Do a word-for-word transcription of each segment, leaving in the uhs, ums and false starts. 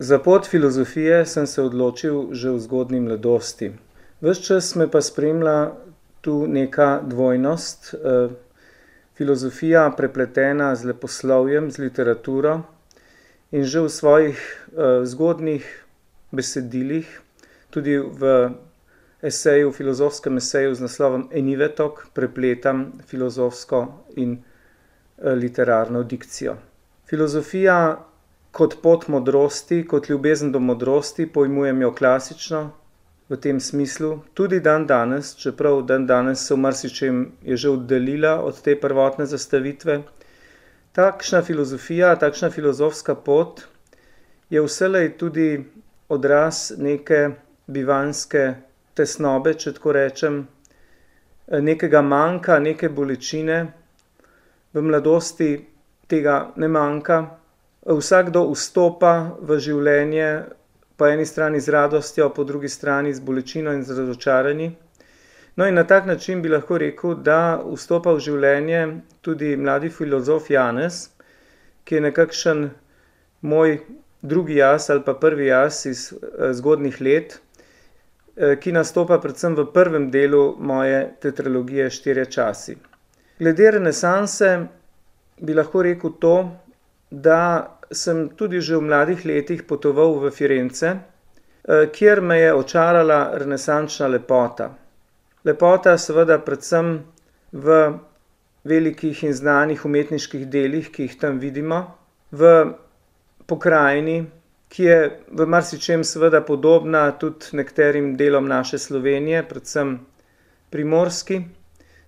Za pot filozofije sem se odločil že v zgodnji mladosti. Ves čas me pa spremlja tu neka dvojnost, eh, filozofija prepletena z leposlovjem, z literaturo, in že v svojih eh, zgodnjih besedilih, tudi v eseju, v filozofskem eseju z naslovom Enivetok, prepletam filozofsko in eh, literarno dikcijo. Filozofija kot pot modrosti, kot ljubezen do modrosti, pojmujem jo klasično v tem smislu, tudi dan danes, čeprav dan danes se v marsičem je že oddaljila od te prvotne zastavitve. Takšna filozofija, takšna filozofska pot je vselej tudi odraz neke bivanjske tesnobe, če tako rečem, nekega manjka, neke bolečine. V mladosti tega ne manjka. Vsakdo vstopa v življenje po eni strani z radostjo, po drugi strani z bolečino in z razočaranji. No in na tak način bi lahko rekel, da vstopa v življenje tudi mladi filozof Janez, ki je nekakšen moj drugi jaz ali pa prvi jaz iz zgodnjih let, ki nastopa predvsem v prvem delu moje tetralogije Štirje časi. Glede renesanse bi lahko rekel to, da sem tudi že v mladih letih potoval v Firence, kjer me je očarala renesančna lepota. Lepota seveda predvsem v velikih in znanih umetniških delih, ki jih tam vidimo, v pokrajini, ki je v marsičem seveda podobna tudi nekaterim delom naše Slovenije, predvsem primorski,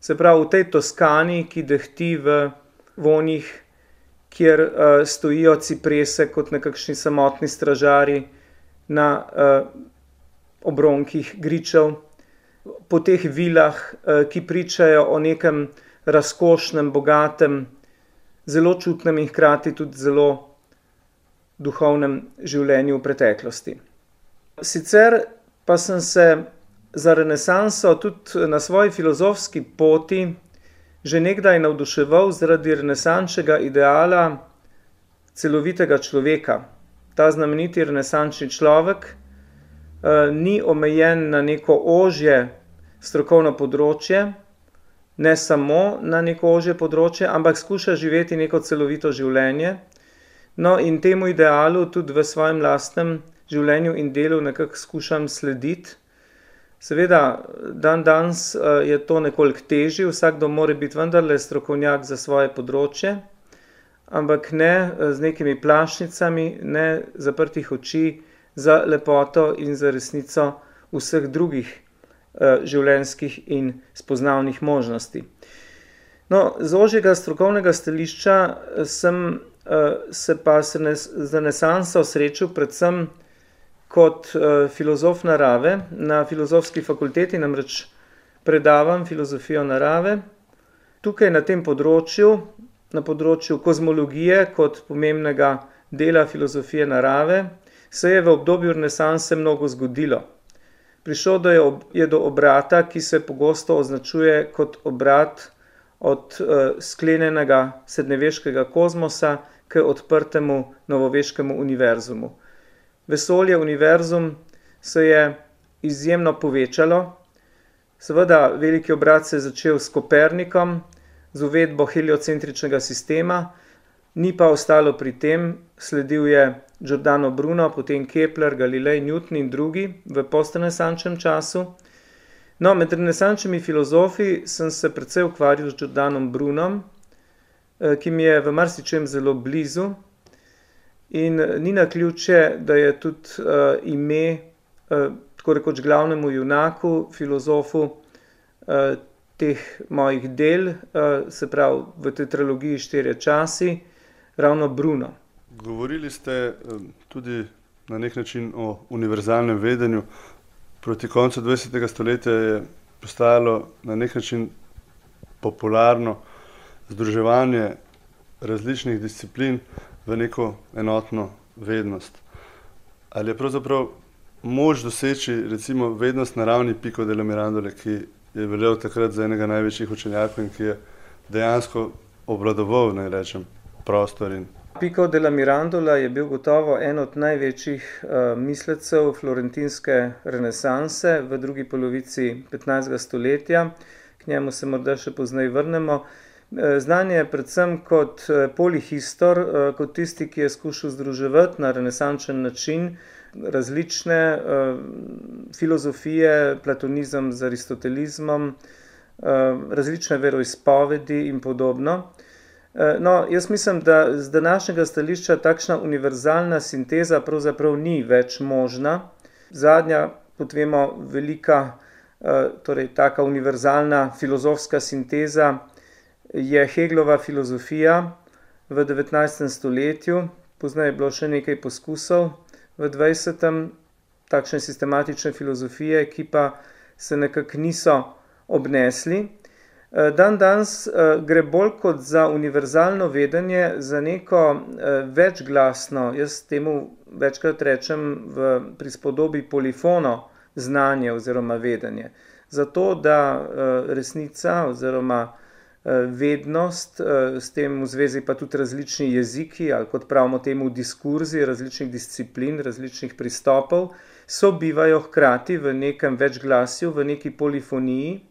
se pravi v tej Toskani, ki dehti v vonjih, kjer uh, stojijo ciprese kot nekakšni samotni stražari na uh, obronkih gričev, po teh vilah, uh, ki pričajo o nekem razkošnem, bogatem, zelo čutnem in hkrati tudi zelo duhovnem življenju v preteklosti. Sicer pa sem se za renesanso tudi na svoji filozofski poti že nekdaj navduševal zaradi renesančnega ideala celovitega človeka. Ta znameniti renesančni človek eh, ni omejen na neko ožje strokovno področje, ne samo na neko ožje področje, ampak skuša živeti neko celovito življenje. No in temu idealu tudi v svojem lastnem življenju in delu nekako skušam slediti. Seveda, dan danes je to nekoliko težje, vsakdo mora biti vendarle strokovnjak za svoje področje, ampak ne z nekimi plašnicami, ne zaprtih oči za lepoto in za resnico vseh drugih življenjskih in spoznavnih možnosti. No, z ožjega strokovnega stališča sem se pa z renesanso srečal predvsem kot uh, filozof narave. Na filozofski fakulteti namreč predavam filozofijo narave. Tukaj na tem področju, na področju kozmologije kot pomembnega dela filozofije narave, se je v obdobju renesanse mnogo zgodilo. Prišlo do je, ob, je do obrata, ki se pogosto označuje kot obrat od uh, sklenjenega srednjeveškega kozmosa k odprtemu novoveškemu univerzumu. Vesolje, univerzum se je izjemno povečalo. Seveda, veliki obrat se je začel s Kopernikom, z uvedbo heliocentričnega sistema, ni pa ostalo pri tem, sledil je Giordano Bruno, potem Kepler, Galilej, Newton in drugi v postrenesančnem času. No, med renesančnimi filozofi sem se precej ukvarjal z Giordanom Brunom, ki mi je v marsičem zelo blizu. In ni naključje, da je tudi uh, ime, uh, tako rekoč glavnemu junaku, filozofu uh, teh mojih del, uh, se pravi v tetralogiji Štirje časi, ravno Bruno. Govorili ste um, tudi na nek način o univerzalnem vedenju. Proti koncu dvajsetega stoletja je postajalo na nek način popularno združevanje različnih disciplin v neko enotno vednost. Ali je pravzaprav moč doseči recimo vednost na ravni Pico della Mirandola, ki je veljal takrat za enega največjih učenjakov in ki je dejansko obvladoval, naj rečem, prostor in Pico della Mirandola je bil gotovo en od največjih uh, mislecev florentinske renesanse v drugi polovici petnajstega stoletja. K njemu se morda še pozneje vrnemo. Znan je predvsem kot polihistor, kot tisti, ki je skušal združevati na renesančen način različne uh, filozofije, platonizem z aristotelizmom, uh, različne veroizpovedi in podobno. No, jaz mislim, da z današnjega stališča takšna univerzalna sinteza pravzaprav ni več možna. Zadnja, kot vemo, velika, torej taka univerzalna filozofska sinteza je Hegelova filozofija v devetnajstem stoletju. Pozneje je bilo še nekaj poskusov v dvajsetem takšne sistematične filozofije, ki pa se nekako niso obnesli. Dan danes gre bolj kot za univerzalno vedenje, za neko večglasno, jaz temu večkrat rečem v prispodobi polifono znanje oziroma vedenje. Zato, da resnica oziroma vednost, s tem v zvezi pa tudi različni jeziki, ali kot pravimo temu diskurzi različnih disciplin, različnih pristopov, sobivajo hkrati v nekem večglasju, v neki polifoniji,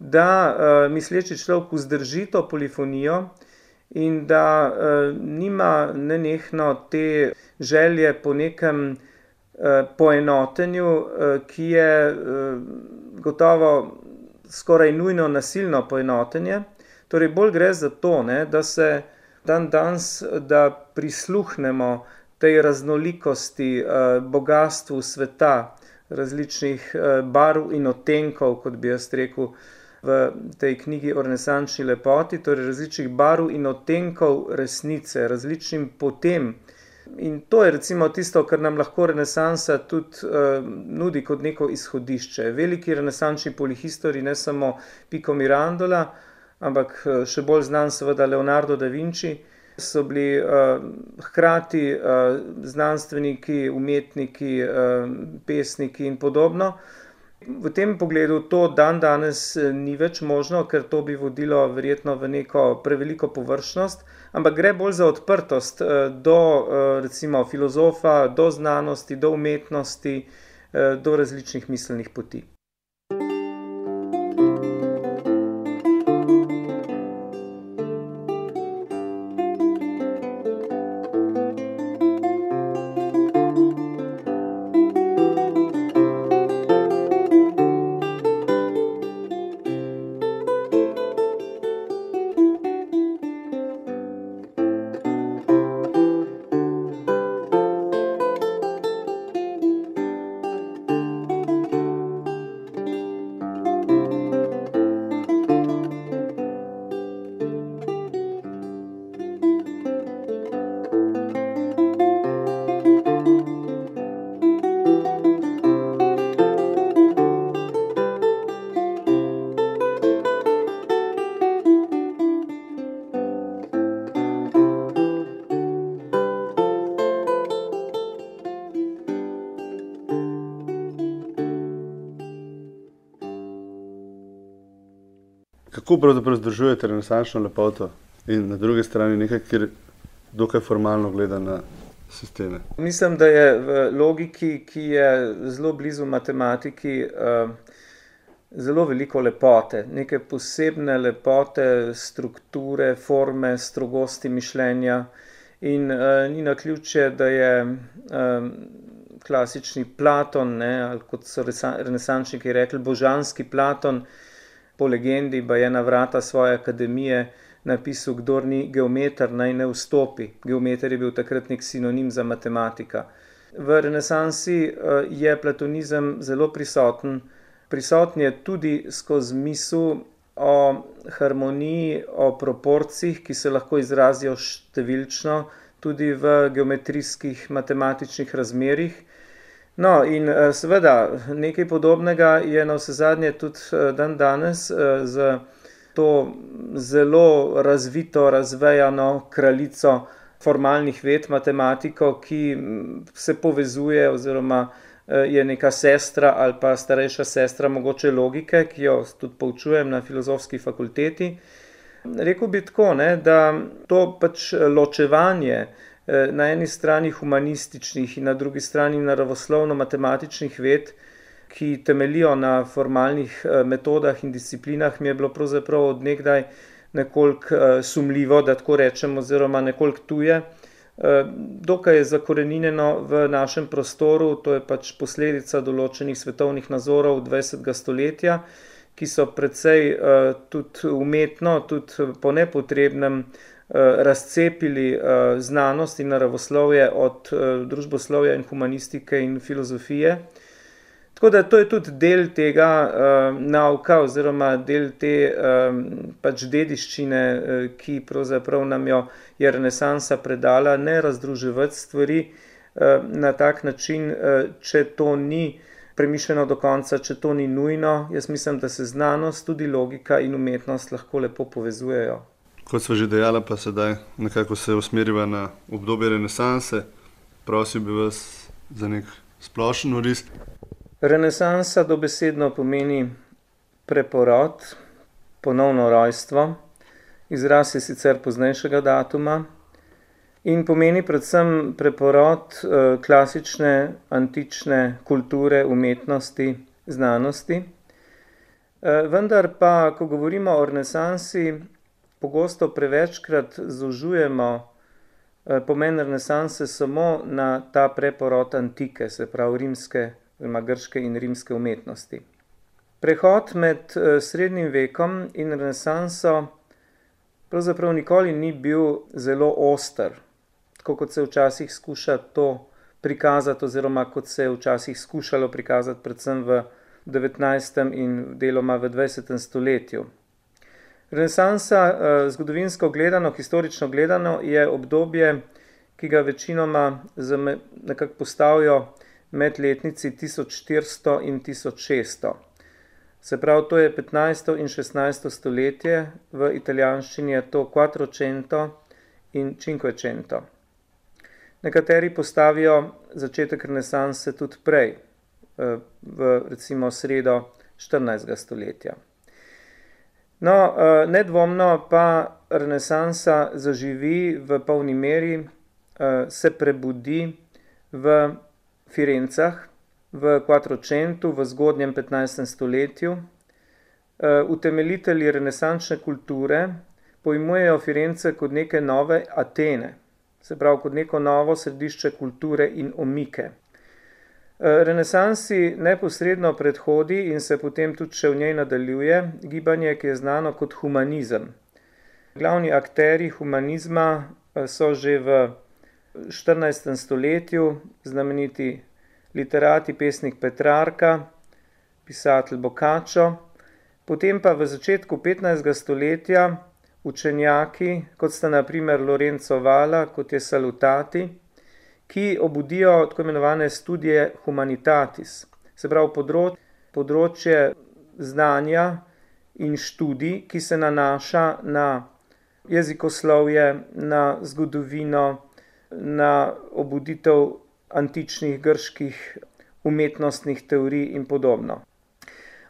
da uh, misleči človek vzdrži to polifonijo in da uh, nima nenehno te želje po nekem uh, poenotenju, uh, ki je uh, gotovo skoraj nujno nasilno poenotenje. Torej bolj gre za to, ne, da se dan danes, da prisluhnemo tej raznolikosti, uh, bogatstvu sveta, različnih uh, barv in odtenkov, kot bi jaz rekel, v tej knjigi o renesančni lepoti, torej različnih barv in odtenkov resnice, različnim potem. In to je recimo tisto, kar nam lahko renesansa tudi uh, nudi kot neko izhodišče. Veliki renesančni polihistori, ne samo Pico Mirandola, ampak še bolj znan seveda Leonardo da Vinci, so bili uh, hkrati uh, znanstveniki, umetniki, uh, pesniki in podobno. V tem pogledu to dan danes ni več možno, ker to bi vodilo verjetno v neko preveliko površnost, ampak gre bolj za odprtost do recimo filozofa, do znanosti, do umetnosti, do različnih miselnih poti. Kako pravzaprav združujete renesančno lepoto in na drugi strani nekaj, kjer dokaj formalno gleda na sisteme? Mislim, da je v logiki, ki je zelo blizu matematiki, zelo veliko lepote, neke posebne lepote, strukture, forme, strogosti mišljenja in ni naključje, da je klasični Platon, ne, ali kot so renesančniki rekli, božanski Platon, po legendi pa je na vrata svoje akademije napisal, kdor ni geometer, naj ne vstopi. Geometer je bil takrat nek sinonim za matematika. V renesansi je platonizem zelo prisoten. Prisoten je tudi skozi misel o harmoniji, o proporcijah, ki se lahko izrazijo številčno, tudi v geometrijskih matematičnih razmerjih. No, in seveda nekaj podobnega je navsezadnje tudi dan danes z to zelo razvito, razvejano kraljico formalnih ved, matematiko, ki se povezuje oziroma je neka sestra ali pa starejša sestra mogoče logike, ki jo tudi poučujem na filozofski fakulteti. Rekel bi tako, ne, da to pač ločevanje na eni strani humanističnih in na drugi strani naravoslovno-matematičnih ved, ki temeljijo na formalnih metodah in disciplinah, mi je bilo pravzaprav od nekdaj nekoliko sumljivo, da tako rečem, oziroma nekoliko tuje. Dokaj je zakoreninjeno v našem prostoru, to je pač posledica določenih svetovnih nazorov dvajsetega stoletja, ki so precej tudi umetno, tudi po nepotrebnem razcepili znanost in naravoslovje od družboslovja in humanistike in filozofije. Tako da to je tudi del tega nauka oziroma del te pač dediščine, ki pravzaprav nam jo je renesansa predala, ne razdruževati stvari na tak način, če to ni premišljeno do konca, če to ni nujno. Jaz mislim, da se znanost, tudi logika in umetnost lahko lepo povezujejo. Kot sva že dejala, pa sedaj nekako se usmeriva na obdobje renesanse. Prosil bi vas za nek splošen oris. Renesansa dobesedno pomeni preporod, ponovno rojstvo. Izraz je sicer poznejšega datuma in pomeni predvsem preporod klasične, antične kulture, umetnosti, znanosti. Vendar pa, ko govorimo o renesansi, pogosto prevečkrat zožujemo pomen renesanse samo na ta preporod antike, se pravi rimske, oziroma grške in rimske umetnosti. Prehod med srednjim vekom in renesanso pravzaprav nikoli ni bil zelo oster, tako kot se včasih skuša to prikazati, oziroma kot se je včasih skušalo prikazati predvsem v devetnajstem in deloma v dvajsetem stoletju. Renesansa, zgodovinsko gledano, historično gledano, je obdobje, ki ga večinoma nekako postavijo med letnici tisoč štiristo in tisoč šeststo. Se pravi, to je petnajsto in šestnajsto stoletje, v italijanščini je to Quattrocento in Cinquecento. Nekateri postavijo začetek renesanse tudi prej, v recimo sredo štirinajstega stoletja. No, nedvomno pa renesansa zaživi v polni meri, se prebudi v Firencah, v Quattrocentu, v zgodnjem petnajstem stoletju. Utemeljitelji renesančne kulture pojmujejo Firence kot neke nove Atene, se pravi kot neko novo središče kulture in omike. Renesansi neposredno predhodi in se potem tudi še v njej nadaljuje gibanje, ki je znano kot humanizem. Glavni akterji humanizma so že v štirinajstem stoletju znameniti literati, pesnik Petrarka, pisatelj Boccaccio, potem pa v začetku petnajstega stoletja učenjaki, kot sta na primer Lorenzo Valla, kot je Salutati, ki obudijo tako imenovane studije humanitatis, se pravi področje, področje znanja in študij, ki se nanaša na jezikoslovje, na zgodovino, na obuditev antičnih grških umetnostnih teorij in podobno.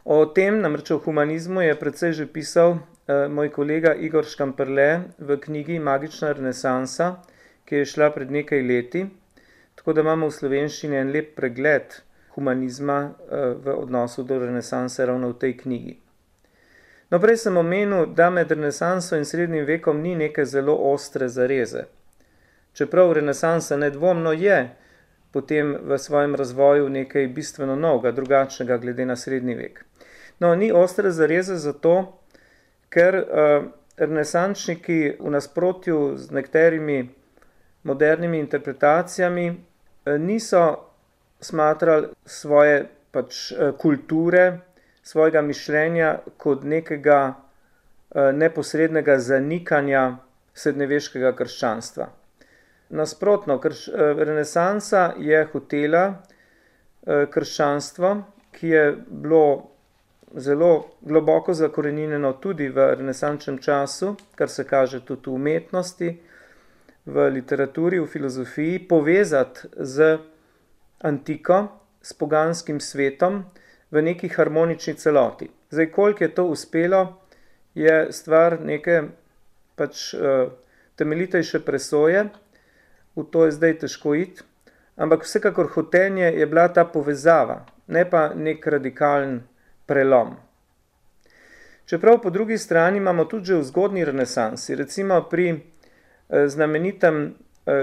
O tem, namreč o humanizmu, je precej že pisal eh, moj kolega Igor Škamperle v knjigi Magična renesansa, ki je šla pred nekaj leti, tako da imamo v slovenščini en lep pregled humanizma eh, v odnosu do renesanse ravno v tej knjigi. No, prej sem omenil, da med renesanso in srednjim vekom ni neke zelo ostre zareze. Čeprav renesansa nedvomno je potem v svojem razvoju nekaj bistveno novega, drugačnega glede na srednji vek. No, ni ostre zareze zato, ker uh, renesančniki v nasprotju z nekaterimi modernimi interpretacijami uh, niso smatrali svoje pač uh, kulture, svojega mišljenja kot nekega uh, neposrednega zanikanja srednjeveškega krščanstva. Nasprotno, krš, renesansa je hotela uh, krščanstvo, ki je bilo zelo globoko zakoreninjeno tudi v renesančnem času, kar se kaže tudi v umetnosti, v literaturi, v filozofiji, povezati z antiko, s poganskim svetom v neki harmonični celoti. Zdaj, koliko je to uspelo, je stvar neke pač temeljitejše presoje, v to je zdaj težko iti, ampak vsekakor hotenje je bila ta povezava, ne pa nek radikalen prelom. Čeprav po drugi strani imamo tudi že v zgodnji renesansi, recimo pri znamenitem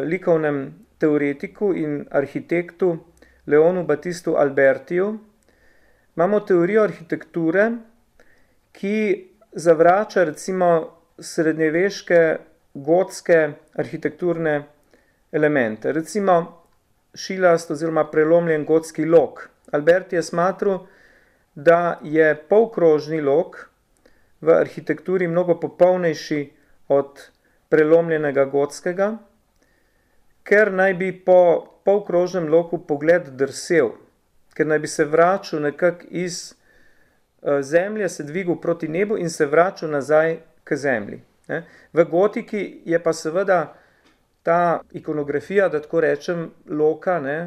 likovnem teoretiku in arhitektu Leonu Battistu Albertiju, imamo teorijo arhitekture, ki zavrača recimo srednjeveške gotske arhitekturne elemente. Recimo šilast oziroma prelomljen gotski lok. Alberti je smatral, da je polkrožni lok v arhitekturi mnogo popolnejši od prelomljenega gotskega, ker naj bi po polkrožnem loku pogled drsel, ker naj bi se vračal nekako iz zemlje, se dvigal proti nebu in se vračal nazaj k zemlji. V gotiki je pa seveda ta ikonografija, da tako rečem, loka, ne,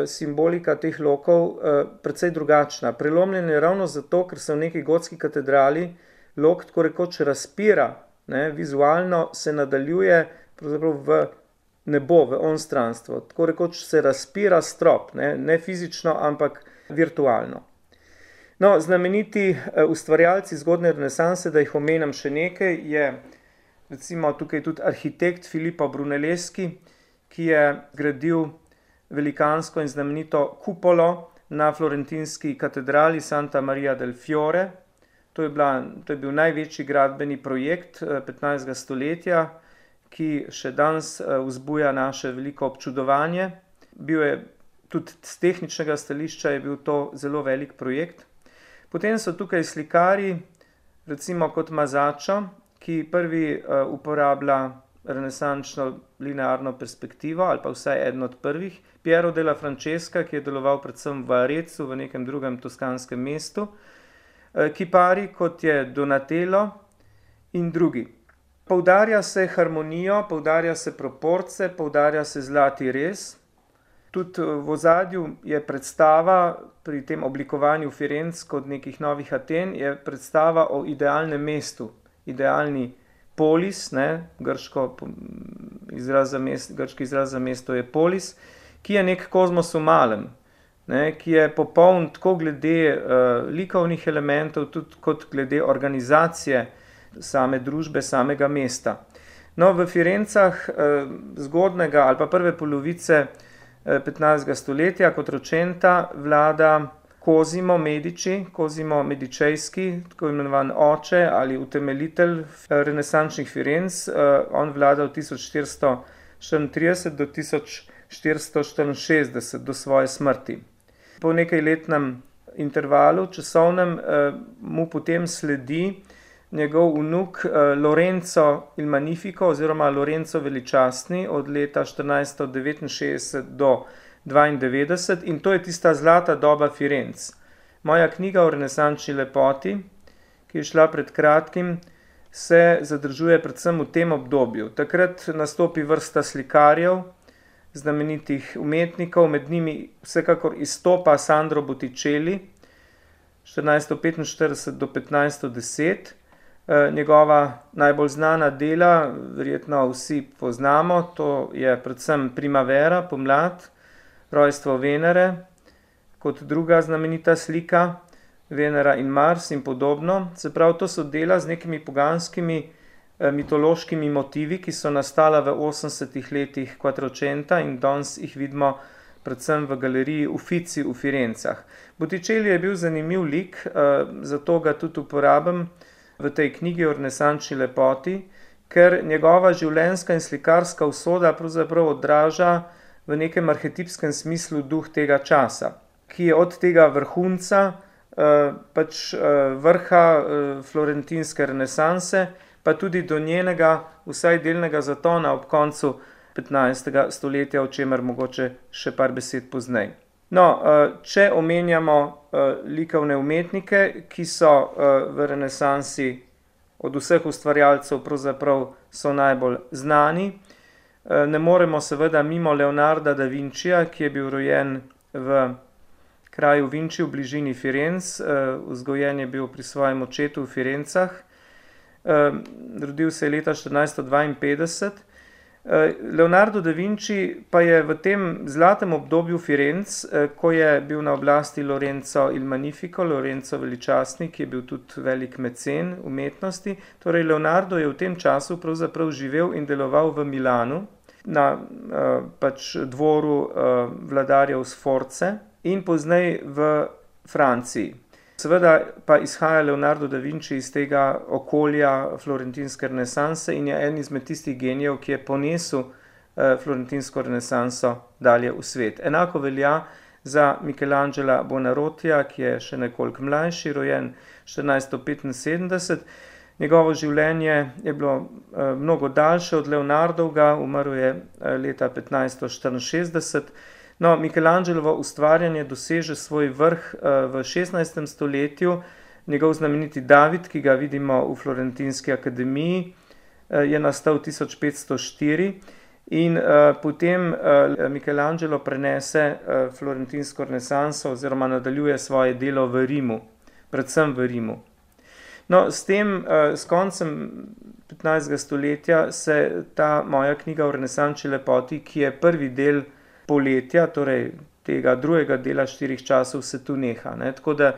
simbolika teh lokov precej drugačna. Prelomljen je ravno zato, ker se v neki gotski katedrali lok tako rekoč razpira, ne, vizualno se nadaljuje pravzaprav v nebo, v onstranstvo. Tako rekoč se razpira strop, ne, ne fizično, ampak virtualno. No, znameniti ustvarjalci zgodnje renesanse, da jih omenjam še nekaj, je recimo tukaj tudi arhitekt Filippo Brunelleschi, ki je gradil velikansko in znamenito kupolo na florentinski katedrali Santa Maria del Fiore. To je, bila, to je bil največji gradbeni projekt petnajstega stoletja, ki še danes vzbuja naše veliko občudovanje. Bil je tudi z tehničnega stališča je bil to zelo velik projekt. Potem so tukaj slikari, recimo kot Masaccio, ki prvi uporablja renesančno linearno perspektivo, ali pa vsaj eden od prvih, Piero della Francesca, ki je deloval predvsem v Arezzu, v nekem drugem toskanskem mestu, kipari, kot je Donatello in drugi. Poudarja se harmonijo, poudarja se proporce, poudarja se zlati rez. Tudi v ozadju je predstava pri tem oblikovanju Firenc kot nekih novih Aten, je predstava o idealnem mestu, idealni polis, ne, grško izraz za mesto, grški izraz za mesto je polis, ki je nek kozmos v malem, ne, ki je popoln tako glede uh, likovnih elementov, tudi kot glede organizacije same družbe, samega mesta. No, v Firencah uh, zgodnega ali pa prve polovice uh, petnajstega stoletja kot ročenta vlada Cosimo Medici, Cosimo Medicejski, tako imenovan oče ali utemeljitelj renesančnih Firenc. On vlada od tisoč štiristo štiriintrideset do tisoč štiristo štiriinšestdeset, do svoje smrti. Po nekajletnem intervalu časovnem mu potem sledi njegov vnuk Lorenzo il Magnifico oziroma Lorenzo Veličastni od leta štirinajststo devetinšestdeset do dvaindevetdeset in to je tista zlata doba Firenc. Moja knjiga o renesančni lepoti, ki je šla pred kratkim, se zadržuje predvsem v tem obdobju. Takrat nastopi vrsta slikarjev, znamenitih umetnikov, med njimi vsekakor izstopa Sandro Botticelli, štirinajststo petinštirideset do petnajststo deset. Njegova najbolj znana dela, verjetno vsi poznamo, to je predvsem Primavera, pomlad, Rojstvo Venere, kot druga znamenita slika, Venera in Mars in podobno. Se pravi, to so dela z nekimi poganskimi mitološkimi motivi, ki so nastala v osemdesetih letih Quattrocenta in danes jih vidimo predvsem v galeriji Uffizi v Firencah. Botticelli je bil zanimiv lik, zato ga tudi uporabim v tej knjigi o renesančni lepoti, ker njegova življenjska in slikarska usoda pravzaprav odraža v nekem arhetipskem smislu duh tega časa, ki je od tega vrhunca, pač vrha florentinske renesanse, pa tudi do njenega vsaj delnega zatona ob koncu petnajstega stoletja, o čemer mogoče še par besed poznej. No, če omenjamo likovne umetnike, ki so v renesansi od vseh ustvarjalcev pravzaprav so najbolj znani, ne moremo seveda mimo Leonarda da Vincija, ki je bil rojen v kraju Vinci v bližini Firenc, vzgojen je bil pri svojem očetu v Firencah. rodil se je leta štirinajststo dvainpetdeset. Leonardo da Vinci pa je v tem zlatem obdobju Firenc, ko je bil na oblasti Lorenzo il Magnifico, Lorenzo veličastni, ki je bil tudi velik mecen umetnosti. Torej Leonardo je v tem času pravzaprav živel in deloval v Milanu na pač dvoru vladarjev Sforze in pozneje v Franciji. Seveda pa izhaja Leonardo da Vinci iz tega okolja florentinske renesanse in je en izmed tistih genijev, ki je ponesel florentinsko renesanso dalje v svet. Enako velja za Michelangela Buonarrotija, ki je še nekoliko mlajši, rojen štirinajststo petinsedemdeset. Njegovo življenje je bilo mnogo daljše od Leonardovega, umrl je leta petnajststo štiriinšestdeset. No, Michelangelovo ustvarjanje doseže svoj vrh v šestnajstem stoletju. Njegov znameniti David, ki ga vidimo v Florentinski akademiji, je nastal tisoč petsto štiri in potem Michelangelo prenese florentinsko renesanso oziroma nadaljuje svoje delo v Rimu, predvsem v Rimu. No, s tem, s koncem petnajstega stoletja se ta moja knjiga o renesančni lepoti, ki je prvi del poletja, torej tega drugega dela štirih časov, se tu neha. Ne? Tako da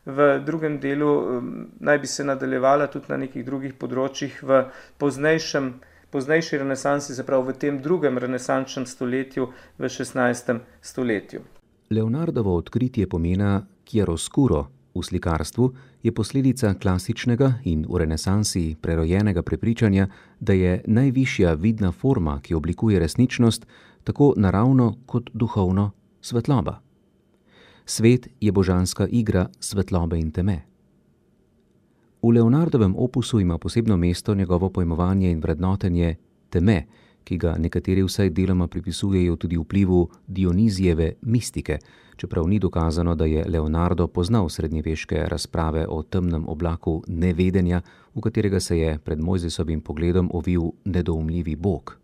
v drugem delu um, naj bi se nadaljevala tudi na nekih drugih področjih v poznejšem, poznejši renesansi, se pravi v tem drugem renesančnem stoletju, v šestnajstem stoletju. Leonardovo odkritje pomena chiaroscuro v slikarstvu je posledica klasičnega in v renesansi prerojenega prepričanja, da je najvišja vidna forma, ki oblikuje resničnost, tako naravno kot duhovno svetloba. Svet je božanska igra svetlobe in teme. V Leonardovem opusu ima posebno mesto njegovo pojmovanje in vrednotenje teme, ki ga nekateri vsaj deloma pripisujejo tudi vplivu Dionizijeve mistike, čeprav ni dokazano, da je Leonardo poznal srednjeveške razprave o temnem oblaku nevedenja, v katerega se je pred Mojzesovim pogledom ovil nedoumljivi bog.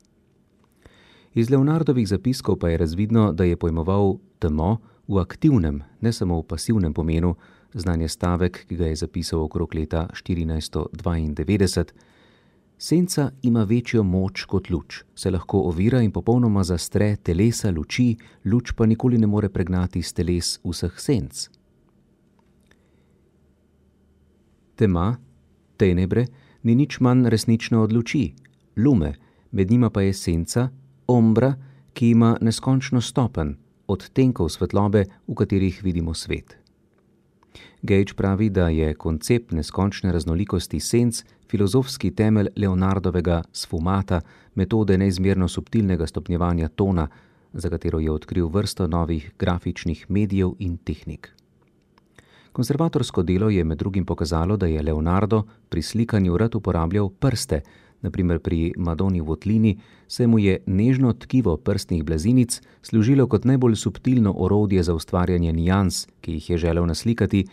Iz Leonardovih zapiskov pa je razvidno, da je pojmoval temo v aktivnem, ne samo v pasivnem pomenu, znan je stavek, ki ga je zapisal okrog leta štirinajststo dvaindevetdeset. Senca ima večjo moč kot luč, se lahko ovira in popolnoma zastre telesa luči, luč pa nikoli ne more pregnati s teles vseh senc. Tema, tenebre, ni nič manj resnična od luči, lume, med njima pa je senca, ombra, ki ima neskončno stopenj, odtenkov svetlobe, v katerih vidimo svet. Gage pravi, da je koncept neskončne raznolikosti senc filozofski temelj Leonardovega sfumata, metode neizmerno subtilnega stopnjevanja tona, za katero je odkril vrsto novih grafičnih medijev in tehnik. Konservatorsko delo je med drugim pokazalo, da je Leonardo pri slikanju rad uporabljal prste, naprimer pri Madoni Votlini, saj mu je nežno tkivo prstnih blazinic služilo kot najbolj subtilno orodje za ustvarjanje nijans, ki jih je želel naslikati,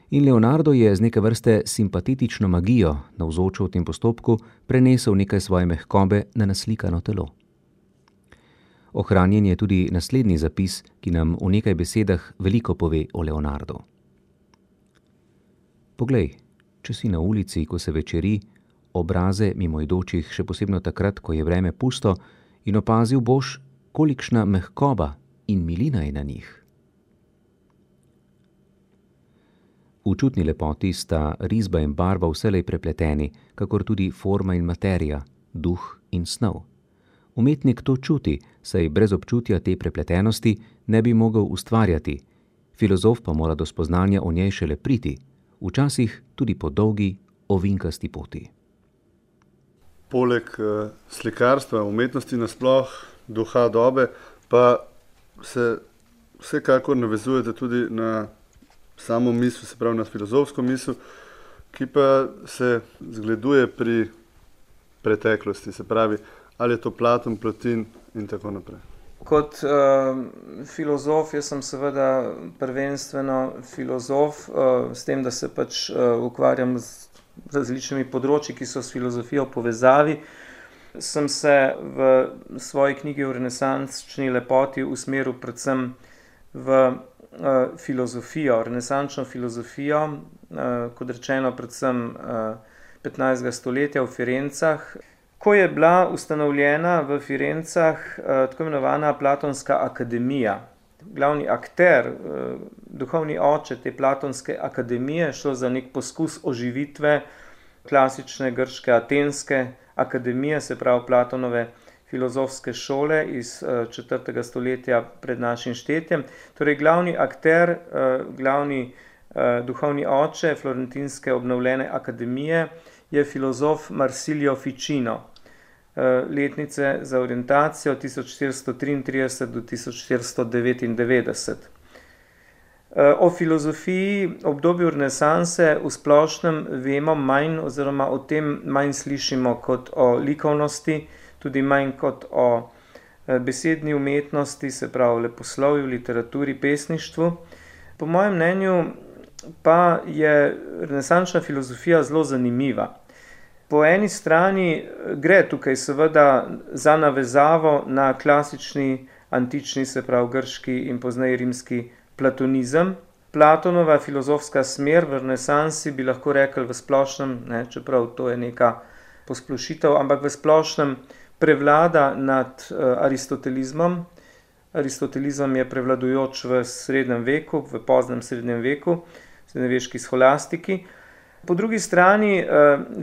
in Leonardo je z neke vrste simpatetično magijo, navzočo v tem postopku, prenesel nekaj svoje mehkobe na naslikano telo. Ohranjen je tudi naslednji zapis, ki nam v nekaj besedah veliko pove o Leonardu. Poglej, če si na ulici, ko se večeri, obraze mimoidočih, še posebno takrat, ko je vreme pusto, in opazil boš, kolikšna mehkoba in milina je na njih. V čutni lepoti sta risba in barva vselej prepleteni, kakor tudi forma in materija, duh in snov. Umetnik to čuti, saj brez občutja te prepletenosti ne bi mogel ustvarjati, filozof pa mora do spoznanja o njej šele priti, včasih tudi po dolgi, ovinkasti poti. Poleg uh, slikarstva, umetnosti nasploh, duha dobe, pa se vsekakor navezujete tudi na samo misel, se pravi na filozofsko misel, ki pa se zgleduje pri preteklosti, se pravi, ali je to Platon, Plotin in tako naprej. Kot uh, filozof, jaz sem seveda prvenstveno filozof, uh, s tem, da se pač uh, ukvarjam z različnimi področji, ki so s filozofijo v povezavi. Sem se v svoji knjigi o renesančni lepoti usmeril predvsem v uh, filozofijo, renesančno filozofijo, uh, kot rečeno predvsem uh, petnajstega stoletja v Firencah, ko je bila ustanovljena v Firencah tako imenovana Platonska akademija. Glavni akter, duhovni oče te Platonske akademije, šlo za nek poskus oživitve klasične grške atenske akademije, se pravi Platonove filozofske šole iz četrtega stoletja pred našim štetjem. Torej, glavni akter, glavni duhovni oče florentinske obnovljene akademije je filozof Marsilio Ficino, letnice za orientacijo tisoč štiristo triintrideset do tisoč štiristo devetindevetdeset. O filozofiji obdobju renesanse v splošnem vemo manj oziroma o tem manj slišimo kot o likovnosti, tudi manj kot o besedni umetnosti, se pravi leposlovju, literaturi, pesništvu. Po mojem mnenju pa je renesančna filozofija zelo zanimiva. Po eni strani gre tukaj seveda za navezavo na klasični antični, se pravi grški in pozneje rimski platonizem. Platonova filozofska smer v renesansi bi lahko rekli v splošnem, ne, čeprav to je neka posplošitev, ampak v splošnem prevlada nad aristotelizmom. Aristotelizem je prevladujoč v srednjem veku, v poznem srednjem veku, srednjeveški sholastiki. Po drugi strani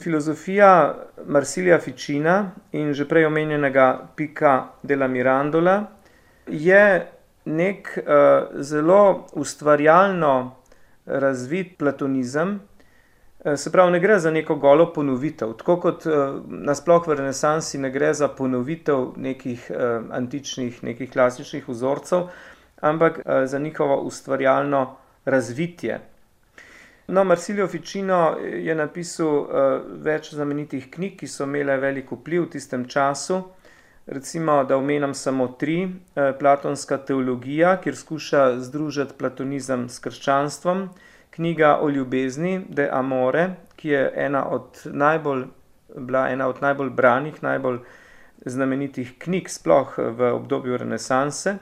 filozofija Marsilija Ficina in že prej omenjenega Pica della Mirandola je nek zelo ustvarjalno razvit platonizem, se pravi, ne gre za neko golo ponovitev, tako kot nasploh v renesansi ne gre za ponovitev nekih antičnih, nekih klasičnih vzorcev, ampak za njihovo ustvarjalno razvitje. No, Marsilio Ficino je napisal več znamenitih knjig, ki so imele velik vpliv v tistem času. Recimo, da omenam samo tri. Platonska teologija, kjer skuša združiti platonizem s krščanstvom. Knjiga o ljubezni, De Amore, ki je ena od najbolj, bila ena od najbolj branih, najbolj znamenitih knjig sploh v obdobju renesanse.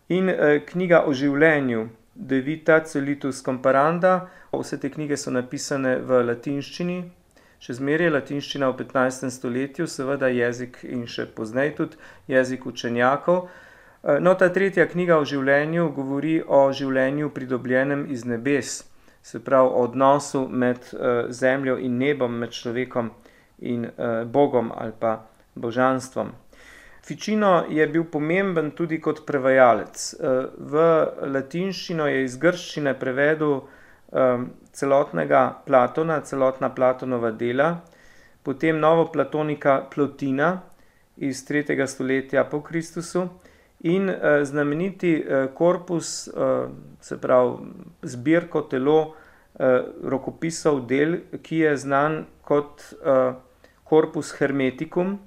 In knjiga o življenju, De Vita Celitus Comparanda. Vse te knjige so napisane v latinščini, še zmeraj latinščina v petnajstem stoletju, seveda jezik in še pozneje tudi jezik učenjakov. No, ta tretja knjiga o življenju govori o življenju pridobljenem iz nebes, se pravi o odnosu med zemljo in nebom, med človekom in Bogom ali pa božanstvom. Ficino je bil pomemben tudi kot prevajalec. V latinščino je iz grščine prevedel celotnega Platona, celotna Platonova dela, potem novoplatonika Plotina iz tretjega stoletja po Kristusu in znameniti korpus, se pravi zbirko telo rokopisov del, ki je znan kot Corpus Hermeticum,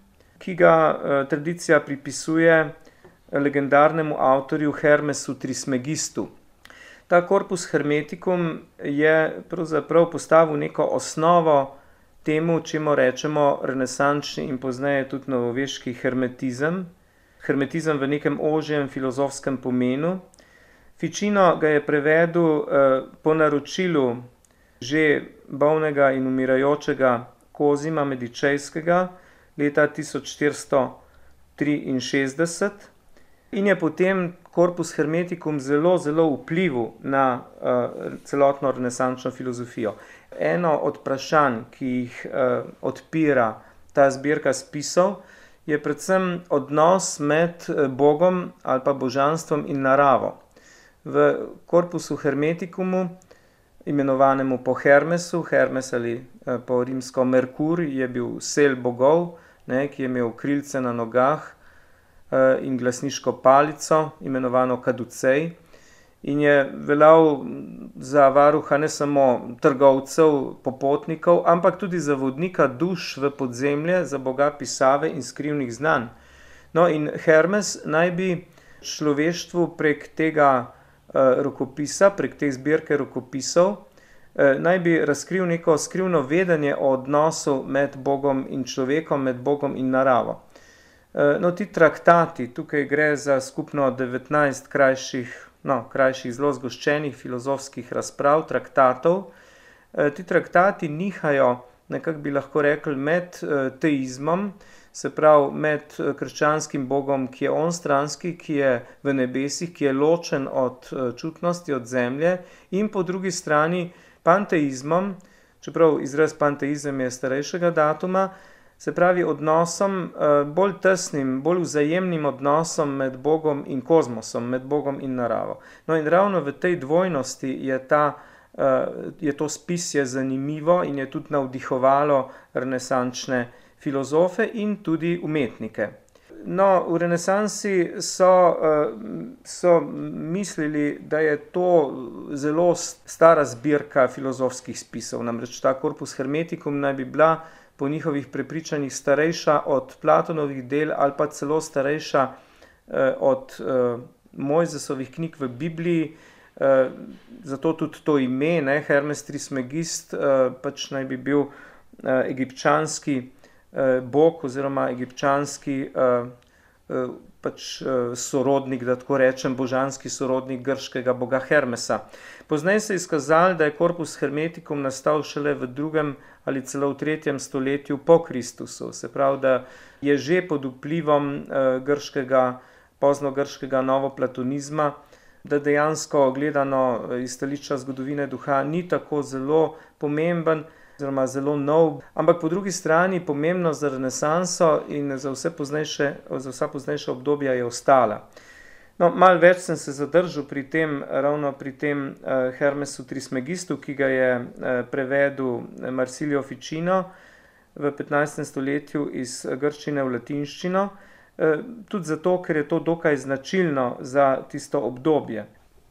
ki ga tradicija pripisuje legendarnemu avtorju Hermesu Trismegistu. Ta Corpus Hermeticum je pravzaprav postavil neko osnovo temu, čemu rečemo renesančni in pozneje tudi novoveški hermetizem. Hermetizem v nekem ožjem filozofskem pomenu. Ficino ga je prevedel po naročilu že bolnega in umirajočega Kozima Medičejskega leta tisoč štiristo triinšestdeset in je potem Corpus Hermeticum zelo, zelo vplival na uh, celotno renesančno filozofijo. Eno od vprašanj, ki jih uh, odpira ta zbirka spisov, je predvsem odnos med Bogom ali pa božanstvom in naravo. V Corpusu Hermeticumu, imenovanemu po Hermesu, Hermes ali uh, po rimsko Merkur, je bil sel bogov, ne, ki je imel krilce na nogah in glasniško palico, imenovano kaducej, in je veljal za varuha ne samo trgovcev, popotnikov, ampak tudi za vodnika duš v podzemlje, za boga pisave in skrivnih znanj. No, in Hermes naj bi človeštvu prek tega rokopisa, prek te zbirke rokopisov, naj bi razkril neko skrivno vedenje o odnosu med Bogom in človekom, med Bogom in naravo. No, ti traktati, tukaj gre za skupno devetnajst krajših, no, krajših zelo zgoščenih filozofskih razprav, traktatov. Ti traktati nihajo nekako bi lahko rekli med teizmom, se pravi med krščanskim bogom, ki je onstranski, ki je v nebesih, ki je ločen od čutnosti, od zemlje, in po drugi strani panteizmom, čeprav izraz panteizem je starejšega datuma, se pravi odnosom, bolj tesnim, bolj vzajemnim odnosom med Bogom in kozmosom, med Bogom in naravo. No in ravno v tej dvojnosti je, ta, je to spisje zanimivo in je tudi navdihovalo renesančne filozofe in tudi umetnike. No, v renesansi so, so mislili, da je to zelo stara zbirka filozofskih spisov, namreč ta Corpus Hermeticum naj bi bila po njihovih prepričanjih starejša od Platonovih del ali pa celo starejša eh, od eh, Mojzesovih knjig v Bibliji, eh, zato tudi to ime, ne, Hermes Trismegist, eh, pač naj bi bil eh, egipčanski eh, bog oziroma egipčanski eh, eh, pač eh, sorodnik, da tako rečem, božanski sorodnik grškega boga Hermesa. Pozneje se je izkazalo, da je Corpus Hermeticum nastal šele v drugem ali celo v tretjem stoletju po Kristusu. Se pravi, da je že pod vplivom eh, grškega, poznogrškega novoplatonizma, da dejansko gledano iz stališča zgodovine duha ni tako zelo pomemben oziroma zelo nov, ampak po drugi strani pomembno za renesanso in za vse poznejše, za vsa poznejša obdobja je ostala. No, malo več sem se zadržal pri tem, ravno pri tem uh, Hermesu Trismegistu, ki ga je uh, prevedel Marsilio Ficino v petnajstem stoletju iz grščine v latinščino, uh, tudi zato, ker je to dokaj značilno za tisto obdobje.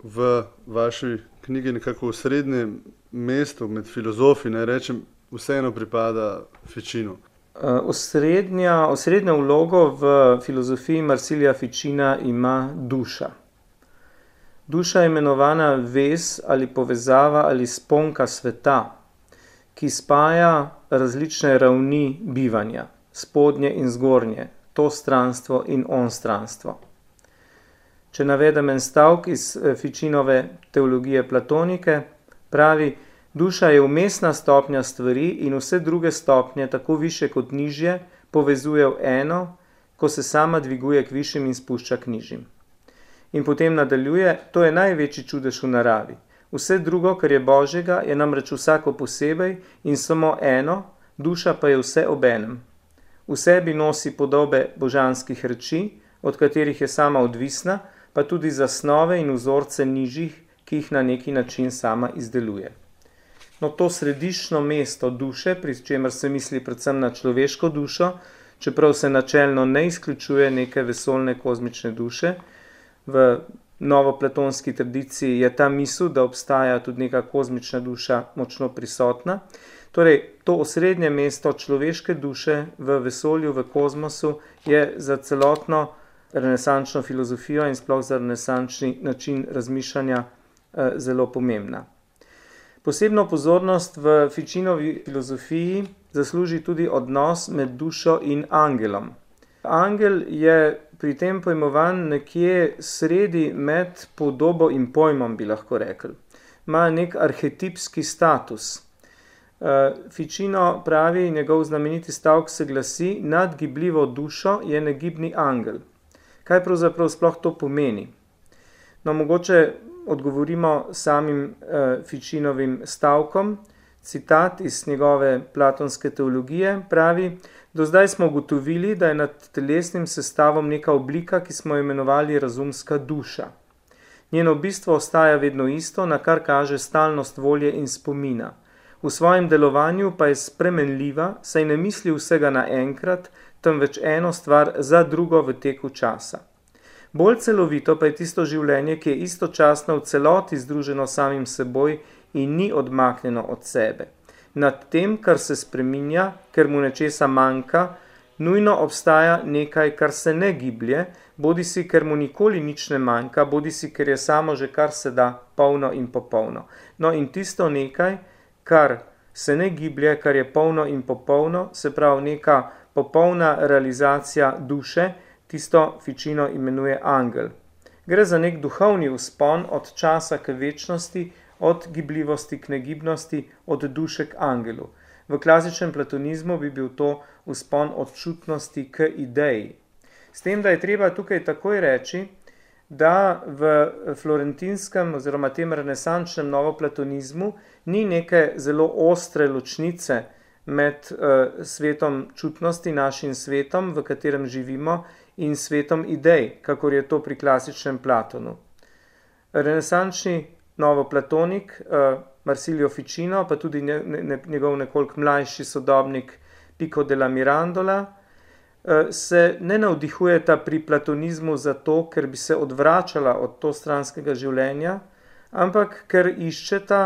V vaši knjigi nekako v srednjem mestu med filozofi, naj rečem, vseeno pripada Ficinu. Osrednja, osrednjo vlogo v filozofiji Marsilija Ficina ima duša. Duša je imenovana vez ali povezava ali sponka sveta, ki spaja različne ravni bivanja, spodnje in zgornje, to stranstvo in onstranstvo. Če navedem en stavk iz Ficinove teologije platonike, pravi: duša je umestna stopnja stvari in vse druge stopnje, tako više kot nižje, povezuje v eno, ko se sama dviguje k višjim in spušča k nižjim. In potem nadaljuje: to je največji čudež v naravi. Vse drugo, kar je Božjega, je namreč vsako posebej in samo eno, duša pa je vse obenem. V sebi nosi podobe božanskih reči, od katerih je sama odvisna, pa tudi zasnove in vzorce nižjih, ki jih na neki način sama izdeluje. No, to središčno mesto duše, pri čemer se misli predvsem na človeško dušo, čeprav se načelno ne izključuje neke vesoljne kozmične duše, v novoplatonski tradiciji je ta misel, da obstaja tudi neka kozmična duša močno prisotna. Torej, to osrednje mesto človeške duše v vesolju, v kozmosu, je za celotno renesančno filozofijo in sploh za renesančni način razmišljanja eh, zelo pomembna. Posebno pozornost v Ficinovi filozofiji zasluži tudi odnos med dušo in angelom. Angel je pri tem pojmovan nekje sredi med podobo in pojmom, bi lahko rekli. Ima nek arhetipski status. Ficino pravi, njegov znameniti stavek se glasi: nad gibljivo dušo je negibni angel. Kaj pravzaprav sploh to pomeni? No, mogoče odgovorimo samim uh, Ficinovim stavkom. Citat iz njegove platonske teologije pravi: do zdaj smo ugotovili, da je nad telesnim sestavom neka oblika, ki smo jo imenovali razumska duša. Njeno bistvo ostaja vedno isto, na kar kaže stalnost volje in spomina. V svojem delovanju pa je spremenljiva, saj ne misli vsega naenkrat, temveč eno stvar za drugo v teku časa. Bolj celovito pa je tisto življenje, ki je istočasno v celoti združeno samim seboj in ni odmaknjeno od sebe. Nad tem, kar se spreminja, ker mu nečesa manjka, nujno obstaja nekaj, kar se ne giblje, bodisi ker mu nikoli nič ne manjka, bodisi ker je samo že kar se da polno in popolno. No in tisto nekaj, kar se ne giblje, kar je polno in popolno, se pravi neka popolna realizacija duše, tisto Ficino imenuje angel. Gre za nek duhovni vzpon od časa k večnosti, od gibljivosti k negibnosti, od duše k angelu. V klasičnem platonizmu bi bil to vzpon od čutnosti k ideji. S tem, da je treba tukaj takoj reči, da v florentinskem oziroma tem renesančnem novoplatonizmu ni neke zelo ostre ločnice med uh, svetom čutnosti, našim svetom, v katerem živimo, in svetom idej, kakor je to pri klasičnem Platonu. Renesančni novoplatonik uh, Marsilio Ficino, pa tudi ne, ne, njegov nekoliko mlajši sodobnik Pico della Mirandola, uh, se ne navdihujeta pri platonizmu zato, ker bi se odvračala od to stranskega življenja, ampak ker iščeta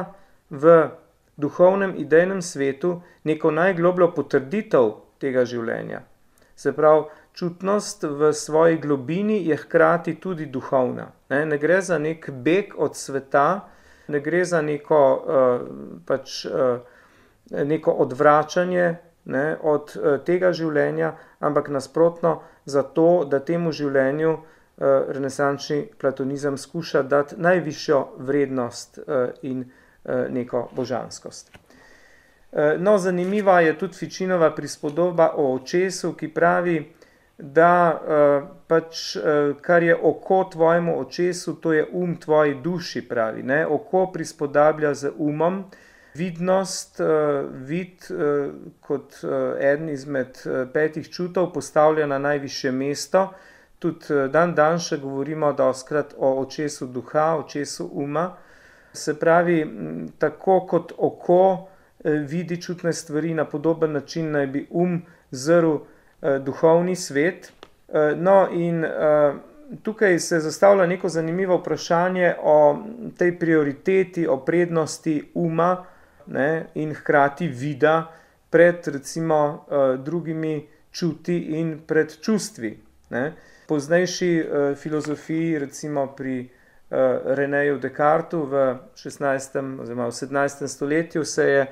v duhovnem idejnem svetu neko najglobljo potrditev tega življenja. Se pravi, čutnost v svoji globini je hkrati tudi duhovna. Ne, ne gre za nek beg od sveta, ne gre za neko, uh, pač, uh, neko odvračanje ne, od uh, tega življenja, ampak nasprotno za to, da temu življenju uh, renesančni platonizem skuša dati najvišjo vrednost uh, in neko božanskost. No, zanimiva je tudi Ficinova prispodoba o očesu, ki pravi, da pač kar je oko tvojemu očesu, to je um tvoji duši, pravi. Ne? Oko prispodablja z umom, vidnost, vid kot eden izmed petih čutov postavlja na najvišje mesto. Tudi dan dan še govorimo dostikrat o očesu duha, očesu uma. Se pravi, tako kot oko vidi čutne stvari, na podoben način naj bi um zrl duhovni svet. No in tukaj se zastavlja neko zanimivo vprašanje o tej prioriteti, o prednosti uma ne, in hkrati vida pred recimo drugimi čuti in pred čustvi. Ne. Poznejši filozofiji, recimo pri Renéju Descartesu v šestnajstem oziroma v sedemnajstem stoletju se je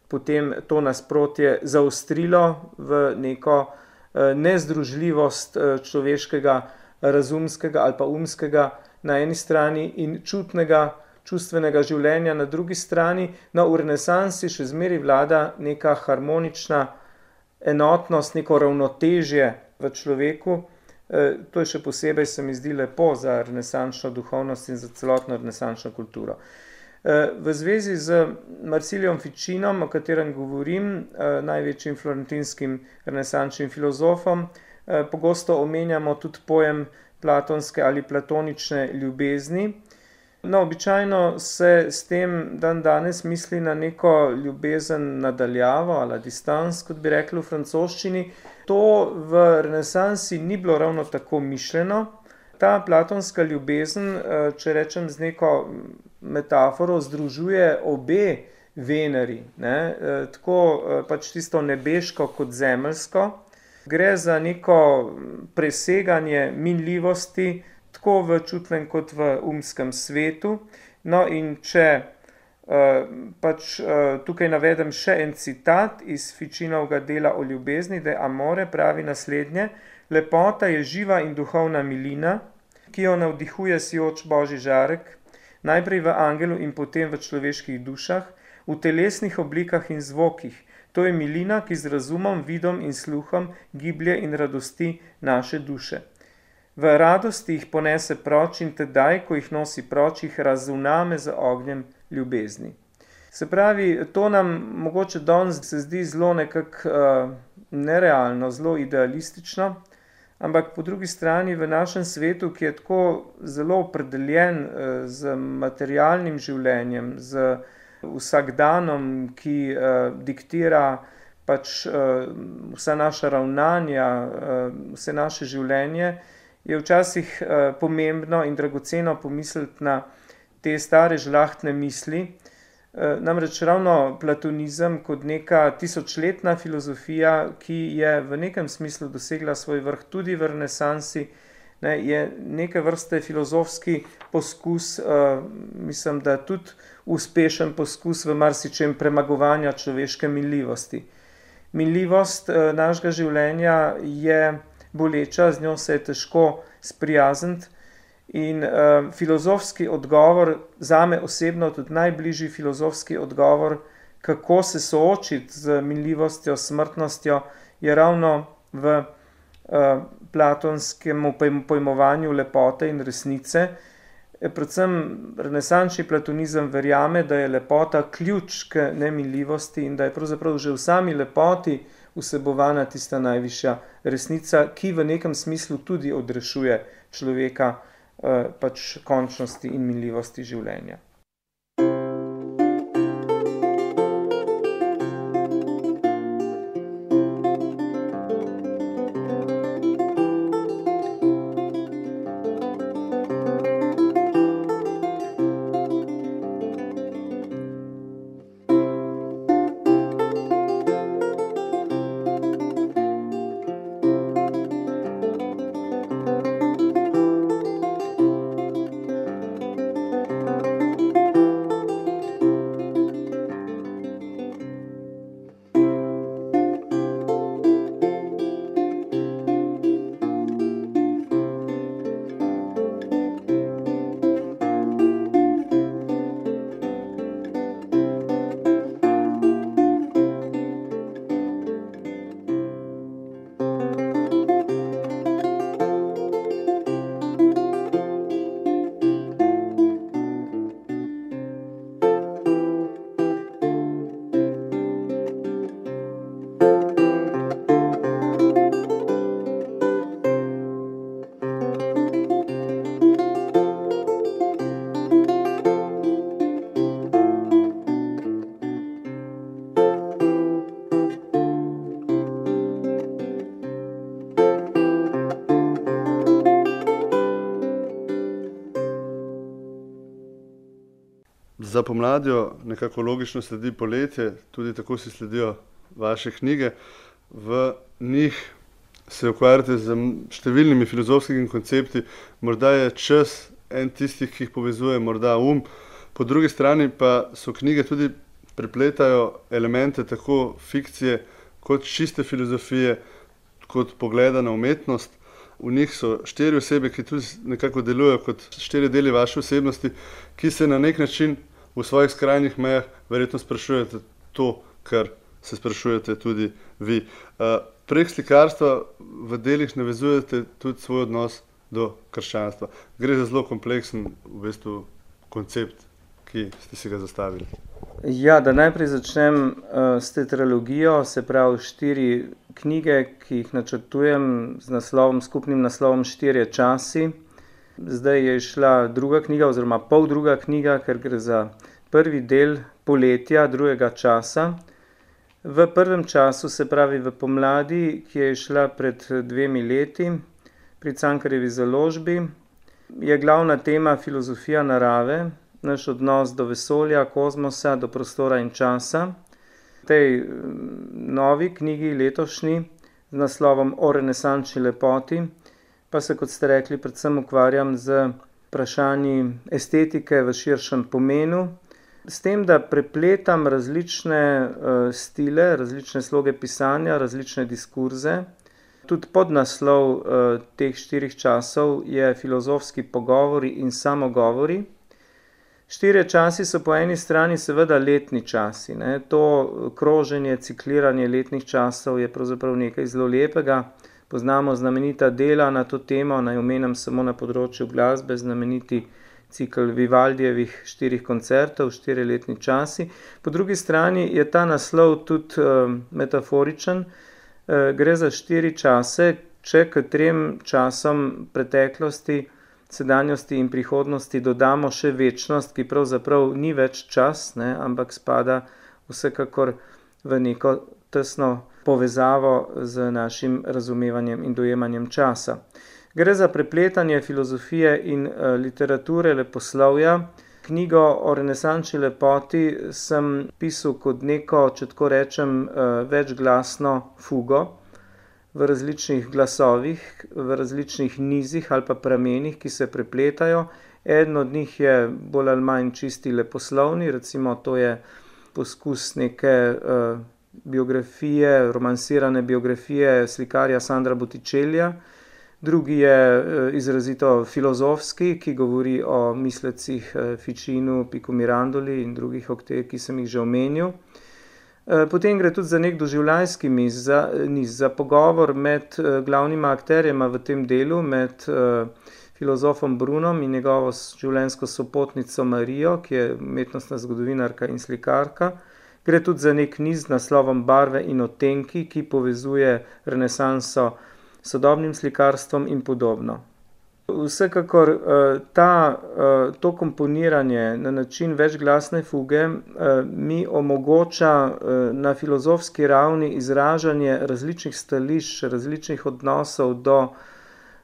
potem to nasprotje zaostrilo v neko nezdružljivost človeškega razumskega ali pa umskega na eni strani in čutnega, čustvenega življenja na drugi strani. No, v renesansi še zmeraj vlada neka harmonična enotnost, neko ravnotežje v človeku. To je še posebej, se mi zdi, lepo za renesančno duhovnost in za celotno renesančno kulturo. V zvezi z Marsiliom Ficinom, o katerem govorim, največjim florentinskim renesančnim filozofom, pogosto omenjamo tudi pojem platonske ali platonične ljubezni. No, običajno se s tem dan danes misli na neko ljubezen nadaljavo ali distans, kot bi rekli v francoščini. To v renesansi ni bilo ravno tako mišljeno. Ta platonska ljubezen, če rečem z neko metaforo, združuje obe Veneri, ne? Tako pač tisto nebeško kot zemeljsko. Gre za neko preseganje minljivosti, tako v čutnem kot v umskem svetu. No in če uh, pač uh, tukaj navedem še en citat iz Ficinovega dela o ljubezni, de amore, pravi naslednje: lepota je živa in duhovna milina, ki jo navdihuje sijoč božji žarek, najprej v angelu in potem v človeških dušah, v telesnih oblikah in zvokih. To je milina, ki z razumom, vidom in sluhom giblje in radosti naše duše. V radosti jih ponese proč in tedaj, ko jih nosi proč, jih razuname z ognjem ljubezni. Se pravi, to nam mogoče danes se zdi zelo nekako uh, nerealno, zelo idealistično, ampak po drugi strani v našem svetu, ki je tako zelo opredeljen uh, z materialnim življenjem, z vsakdanom, ki uh, diktira pač uh, vsa naša ravnanja, uh, vse naše življenje, je včasih uh, pomembno in dragoceno pomisliti na te stare žlahtne misli. Uh, namreč ravno platonizem kot neka tisočletna filozofija, ki je v nekem smislu dosegla svoj vrh tudi v renesansi, ne, je neke vrste filozofski poskus, uh, mislim, da tudi uspešen poskus v marsičem premagovanja človeške minljivosti. Minljivost uh, našega življenja je boleča, z njo se je težko sprijazniti in uh, filozofski odgovor, zame osebno tudi najbližji filozofski odgovor kako se soočiti z minljivostjo, smrtnostjo, je ravno v uh, platonskem pojmovanju lepote in resnice. Predvsem renesančni platonizem verjame, da je lepota ključ k neminljivosti in da je pravzaprav že v sami lepoti vsebovana tista najvišja resnica, ki v nekem smislu tudi odrešuje človeka eh, pač končnosti in minljivosti življenja. Za pomladjo nekako logično sledi poletje, tudi tako si sledijo vaše knjige. V njih se ukvarjate z številnimi filozofskimi koncepti, morda je čas en tistih, ki jih povezuje, morda um. Po drugi strani pa so knjige tudi prepletajo elemente tako fikcije kot čiste filozofije, kot pogleda na umetnost. V njih so štiri osebe, ki tudi nekako delujejo kot štiri deli vaše osebnosti, ki se na nek način v svojih skrajnih mejah verjetno sprašujete to, kar se sprašujete tudi vi. Prek slikarstva v delih navezujete tudi svoj odnos do krščanstva. Gre za zelo kompleksen v bistvu koncept, ki ste si ga zastavili. Ja, da najprej začnem uh, s tetralogijo, se pravi štiri knjige, ki jih načrtujem z naslovom, skupnim naslovom Štirje časi. Zdaj je šla druga knjiga oziroma pol druga knjiga, ker gre za prvi del poletja drugega časa. V prvem času, se pravi v pomladi, ki je šla pred dvemi leti pri Cankarjevi založbi, je glavna tema filozofija narave, naš odnos do vesolja, kozmosa, do prostora in časa. V tej novi knjigi, letošnji, z naslovom O renesančni lepoti, pa se, kot ste rekli, predvsem ukvarjam z vprašanji estetike v širšem pomenu, s tem, da prepletam različne uh, stile, različne sloge pisanja, različne diskurze. Tudi podnaslov uh, teh štirih časov je filozofski pogovori in samogovori. Štirje časi so po eni strani seveda letni časi. Ne? To kroženje, cikliranje letnih časov je pravzaprav nekaj zelo lepega. Poznamo znamenita dela na to temo, naj omenim samo na področju glasbe, znameniti cikl Vivaldijevih štirih koncertov, štiri letni časi. Po drugi strani je ta naslov tudi uh, metaforičen. Uh, gre za štiri čase, če k trem časom preteklosti, sedanjosti in prihodnosti dodamo še večnost, ki pravzaprav ni več čas, ne, ampak spada vsekakor v neko tesno povezavo z našim razumevanjem in dojemanjem časa. Gre za prepletanje filozofije in uh, literature, leposlovja. Knjigo o renesančni lepoti sem pisal kot neko, če tako rečem, uh, večglasno fugo v različnih glasovih, v različnih nizih ali pa pramenih, ki se prepletajo. Eden od njih je bolj ali manj čisti leposlovni, recimo to je poskus neke uh, biografije, romansirane biografije slikarja Sandra Botticellija. Drugi je izrazito filozofski, ki govori o mislecih Ficinu, Pico Mirandoli in drugih, ki sem jih že omenil. Potem gre tudi za nek doživljajski niz, za, niz, za pogovor med glavnima akterjema v tem delu, med filozofom Brunom in njegovo življenjsko sopotnico Marijo, ki je umetnostna zgodovinarka in slikarka. Gre tudi za nek niz z naslovom Barve in odtenki, ki povezuje renesanso s sodobnim slikarstvom in podobno. Vsekakor ta, to komponiranje na način večglasne fuge mi omogoča na filozofski ravni izražanje različnih stališč, različnih odnosov do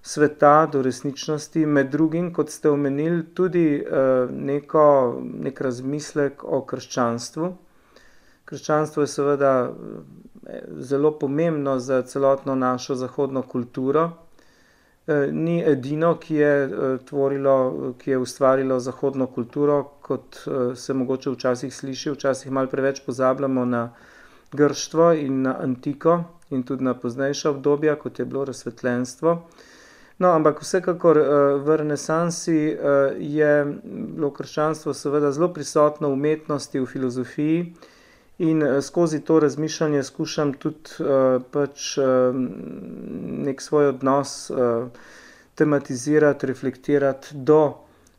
sveta, do resničnosti, med drugim, kot ste omenili, tudi neko, nek razmislek o krščanstvu. Krščanstvo je seveda zelo pomembno za celotno našo zahodno kulturo. Ni edino, ki je tvorilo, ki je ustvarilo zahodno kulturo, kot se mogoče včasih sliši, včasih malo preveč pozabljamo na grštvo in na antiko in tudi na poznejša obdobja, kot je bilo razsvetljenstvo. No, ampak vsekakor v renesansi je bilo krščanstvo seveda zelo prisotno v umetnosti, v filozofiji in skozi to razmišljanje skušam tudi pač nek svoj odnos tematizirati, reflektirati do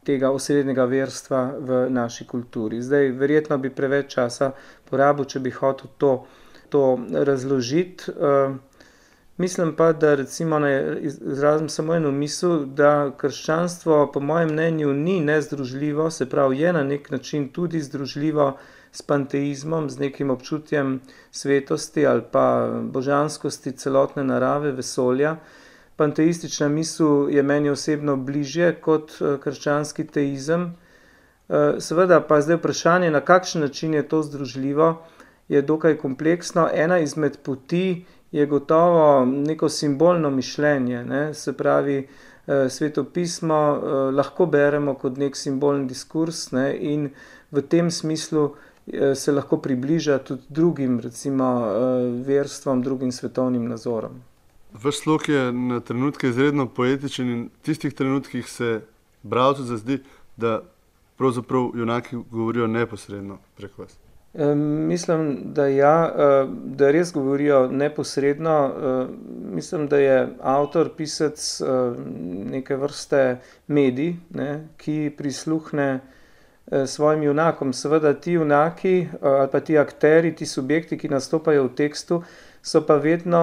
tega osrednjega verstva v naši kulturi. Zdaj, verjetno bi preveč časa porabil, če bi hotel to, to razložiti. Mislim pa, da recimo izrazim samo eno misel, da krščanstvo po mojem mnenju ni nezdružljivo, se pravi je na nek način tudi združljivo s panteizmom, z nekim občutjem svetosti ali pa božanskosti celotne narave, vesolja. Panteistična misel je meni osebno bližje kot krščanski teizem. Seveda pa zdaj vprašanje, na kakšen način je to združljivo, je dokaj kompleksno. Ena izmed poti je gotovo neko simbolno mišljenje, ne? Se pravi, Sveto pismo lahko beremo kot nek simbolni diskurs, ne? In v tem smislu se lahko približa tudi drugim, recimo, verstvom, drugim svetovnim nazorom. Vaš slog je na trenutke izredno poetičen in v tistih trenutkih se bralcu zazdi, da pravzaprav junaki govorijo neposredno prek vas. E, mislim, da ja, da res govorijo neposredno. Mislim, da je avtor, pisec neke vrste medij, ne, ki prisluhne svojim junakom. Seveda ti junaki ali pa ti akteri, ti subjekti, ki nastopajo v tekstu, so pa vedno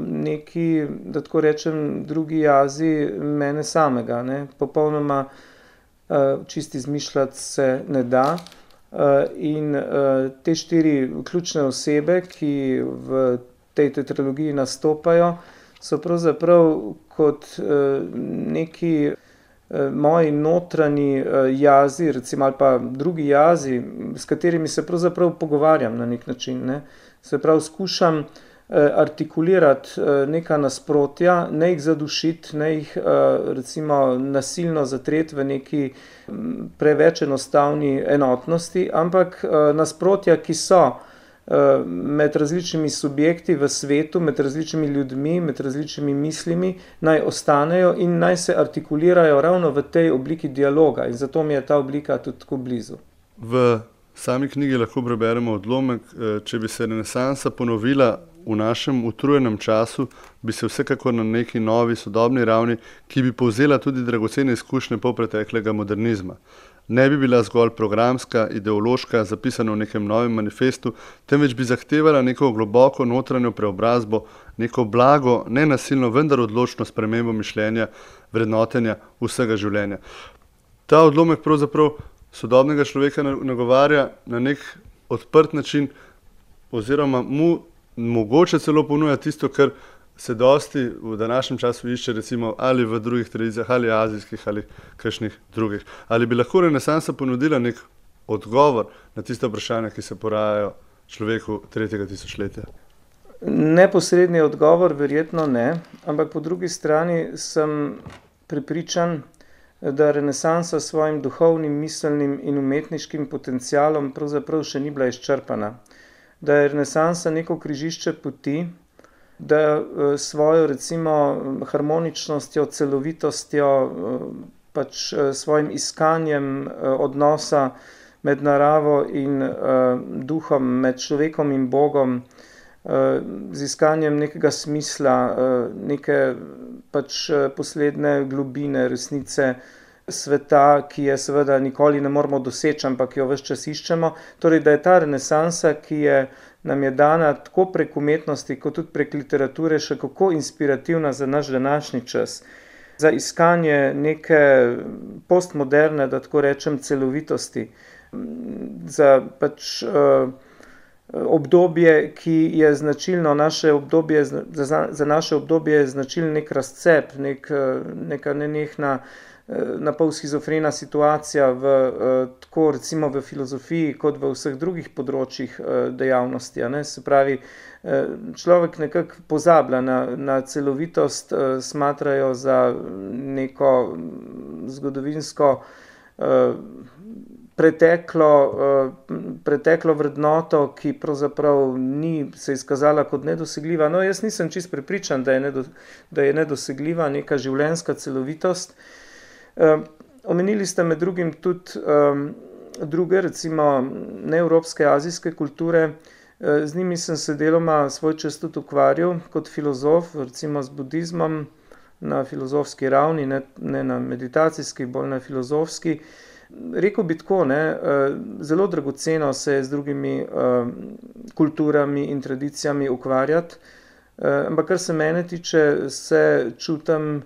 neki, da tako rečem, drugi jazi mene samega, ne. Popolnoma čisto izmišljati se ne da. In te štiri ključne osebe, ki v tej tetralogiji nastopajo, so pravzaprav kot neki moji notranji jazi, recimo, ali pa drugi jazi, s katerimi se pravzaprav pogovarjam na nek način, ne. Se pravi, skušam artikulirati neka nasprotja, ne jih zadušiti, ne jih recimo nasilno zatreti v neki preveč enostavni enotnosti, ampak nasprotja, ki so med različnimi subjekti v svetu, med različnimi ljudmi, med različnimi mislimi, naj ostanejo in naj se artikulirajo ravno v tej obliki dialoga. In zato mi je ta oblika tudi tako blizu. V sami knjigi lahko preberemo odlomek, če bi se renesansa ponovila v našem utrujenem času, bi se vsekakor na neki novi sodobni ravni, ki bi povzela tudi dragocene izkušnje polpreteklega modernizma. Ne bi bila zgolj programska, ideološka, zapisana v nekem novem manifestu, temveč bi zahtevala neko globoko notranjo preobrazbo, neko blago, nenasilno, vendar odločno spremembo mišljenja, vrednotenja vsega življenja. Ta odlomek pravzaprav sodobnega človeka nagovarja na nek odprt način oziroma mu mogoče celo ponuja tisto, kar se dosti v današnjem času išče, recimo ali v drugih tradicijah, ali azijskih, ali kakšnih drugih. Ali bi lahko renesansa ponudila nek odgovor na tiste vprašanja, ki se porajajo človeku tretjega tisočletja? Neposredni odgovor verjetno ne, ampak po drugi strani sem prepričan, da renesansa s svojim duhovnim, miselnim in umetniškim potencialom pravzaprav še ni bila izčrpana. Da je renesansa neko križišče poti, da svojo recimo harmoničnostjo, celovitostjo, pač svojim iskanjem odnosa med naravo in uh, duhom, med človekom in Bogom, uh, z iskanjem nekega smisla, uh, neke pač posledne globine resnice sveta, ki je seveda nikoli ne moramo doseči, ampak jo ves čas iščemo. Torej, da je ta renesansa, ki je, nam je dana tako prek umetnosti, kot tudi prek literature, še kako inspirativna za naš današnji čas. Za iskanje neke postmoderne, da tako rečem, celovitosti. Za pač uh, obdobje, ki je značilno, naše obdobje, za, za naše obdobje je značilen nek razcep, nek, neka nenehna na pol schizofrena situacija v, tako recimo v filozofiji, kot v vseh drugih področjih dejavnosti. Ne? Se pravi, človek nekako pozablja na, na celovitost, smatrajo za neko zgodovinsko preteklo, preteklo vrednoto, ki pravzaprav ni se izkazala kot nedosegljiva. No, jaz nisem čist prepričan, da je, nedo, da je nedosegljiva neka življenjska celovitost. Um, omenili ste med drugim tudi um, druge, recimo neevropske, azijske kulture. Uh, z njimi sem se deloma svoj čas tudi ukvarjal kot filozof, recimo z budizmom na filozofski ravni, ne, ne na meditacijski, bolj na filozofski. Rekel bi tako, ne, uh, zelo dragoceno se je z drugimi uh, kulturami in tradicijami ukvarjati, uh, ampak kar se mene tiče, se čutim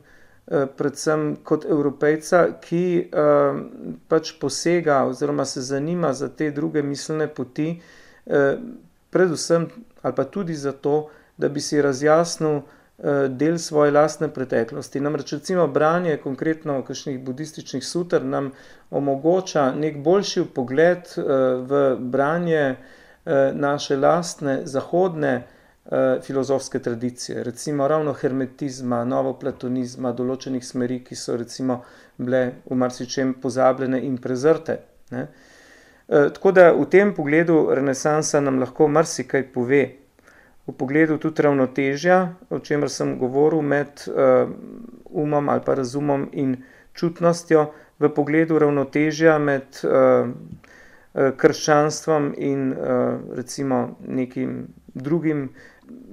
predvsem kot Evropejca, ki uh, pač posega oziroma se zanima za te druge miselne poti, uh, predvsem ali pa tudi zato, da bi si razjasnil uh, del svoje lastne preteklosti. Namreč recimo branje konkretno kakšnih budističnih suter nam omogoča nek boljši pogled uh, v branje uh, naše lastne zahodne filozofske tradicije, recimo ravno hermetizma, novoplatonizma, določenih smeri, ki so recimo bile v marsičem pozabljene in prezrte. Ne? E, tako da v tem pogledu renesansa nam lahko marsikaj pove. V pogledu tudi ravnotežja, o čemer sem govoril, med uh, umom ali pa razumom in čutnostjo, v pogledu ravnotežja med uh, krščanstvom in uh, recimo nekim drugim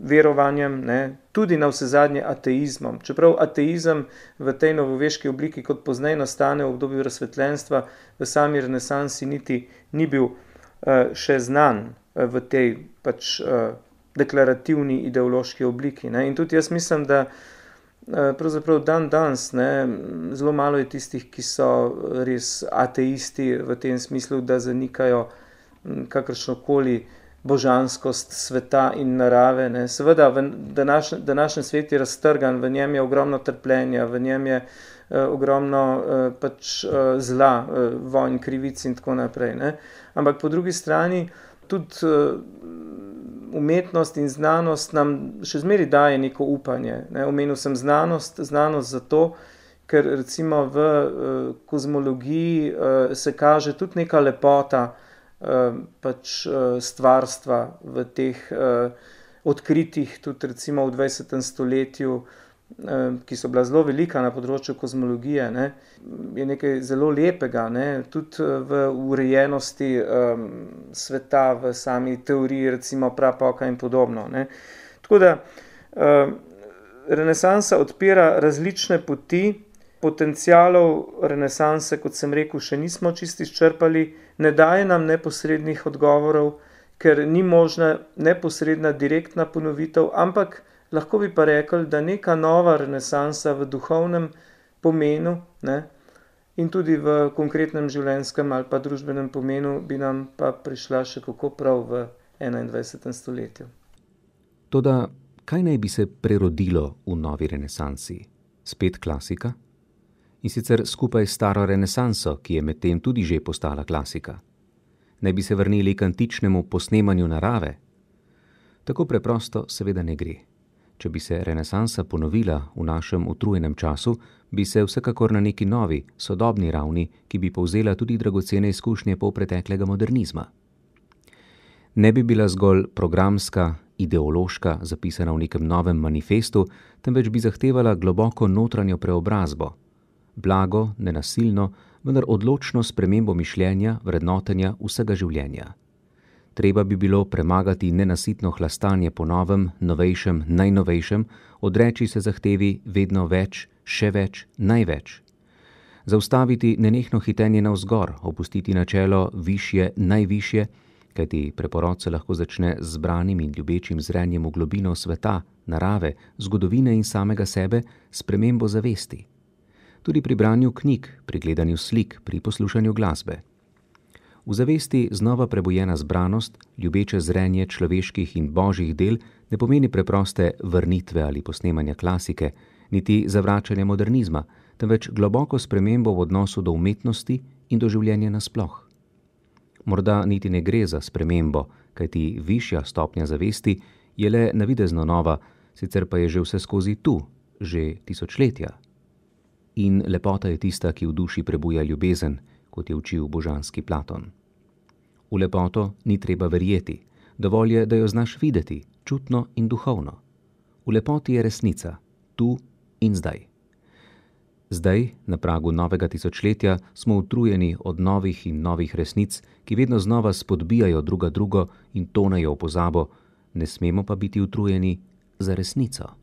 verovanjem, ne, tudi na vsezadnje ateizmom. Čeprav ateizem v tej novoveški obliki, kot pozneje nastane v obdobju razsvetljenstva, v sami renesansi niti ni bil uh, še znan uh, v tej pač uh, deklarativni ideološki obliki. Ne. In tudi jaz mislim, da uh, pravzaprav dan danes, ne, zelo malo je tistih, ki so res ateisti v tem smislu, da zanikajo kakršnokoli božanskost sveta in narave. Ne. Seveda, današnji, današnji svet je raztrgan, v njem je ogromno trpljenja, v njem je uh, ogromno uh, pač, uh, zla, uh, vojn, krivic in tako naprej. Ne. Ampak po drugi strani tudi uh, umetnost in znanost nam še zmeri daje neko upanje. Ne. Omenil sem znanost, znanost zato, ker recimo v uh, kozmologiji uh, se kaže tudi neka lepota pač stvarstva v teh uh, odkritih, tudi recimo v dvajsetem stoletju, uh, ki so bila zelo velika na področju kozmologije, ne, je nekaj zelo lepega, ne, tudi v urejenosti um, sveta, v sami teoriji, recimo prapoka in podobno. Ne. Tako da uh, renesansa odpira različne poti, potencialov renesanse, kot sem rekel, še nismo čisto izčrpali, ne daje nam neposrednih odgovorov, ker ni možna neposredna direktna ponovitev, ampak lahko bi pa rekli, da neka nova renesansa v duhovnem pomenu, ne, in tudi v konkretnem življenjskem ali pa družbenem pomenu bi nam pa prišla še kako prav v enaindvajsetem stoletju. Toda kaj naj bi se prerodilo v novi renesansi? Spet klasika? In sicer skupaj s staro renesanso, ki je medtem tudi že postala klasika. Naj bi se vrnili k antičnemu posnemanju narave? Tako preprosto seveda ne gre. Če bi se renesansa ponovila v našem utrujenem času, bi se vsekakor na neki novi, sodobni ravni, ki bi povzela tudi dragocene izkušnje polpreteklega modernizma. Ne bi bila zgolj programska, ideološka, zapisana v nekem novem manifestu, temveč bi zahtevala globoko notranjo preobrazbo, blago, nenasilno, vendar odločno spremembo mišljenja, vrednotenja vsega življenja. Treba bi bilo premagati nenasitno hlastanje po novem, novejšem, najnovejšem, odreči se zahtevi vedno več, še več, največ. Zaustaviti nenehno hitenje navzgor, opustiti načelo višje, najvišje, kajti preporod se lahko začne z zbranim in ljubečim zrenjem v globino sveta, narave, zgodovine in samega sebe, spremembo zavesti. Tudi pri branju knjig, pri gledanju slik, pri poslušanju glasbe. V zavesti znova prebujena zbranost, ljubeče zrenje človeških in božjih del ne pomeni preproste vrnitve ali posnemanja klasike, niti zavračanja modernizma, temveč globoko spremembo v odnosu do umetnosti in do življenja nasploh. Morda niti ne gre za spremembo, kajti višja stopnja zavesti je le navidezno nova, sicer pa je že vse skozi tu, že tisočletja. In lepota je tista, ki v duši prebuja ljubezen, kot je učil božanski Platon. V lepoto ni treba verjeti, dovolj je, da jo znaš videti, čutno in duhovno. V lepoti je resnica, tu in zdaj. Zdaj, na pragu novega tisočletja, smo utrujeni od novih in novih resnic, ki vedno znova spodbijajo druga drugo in tonejo v pozabo, ne smemo pa biti utrujeni za resnico.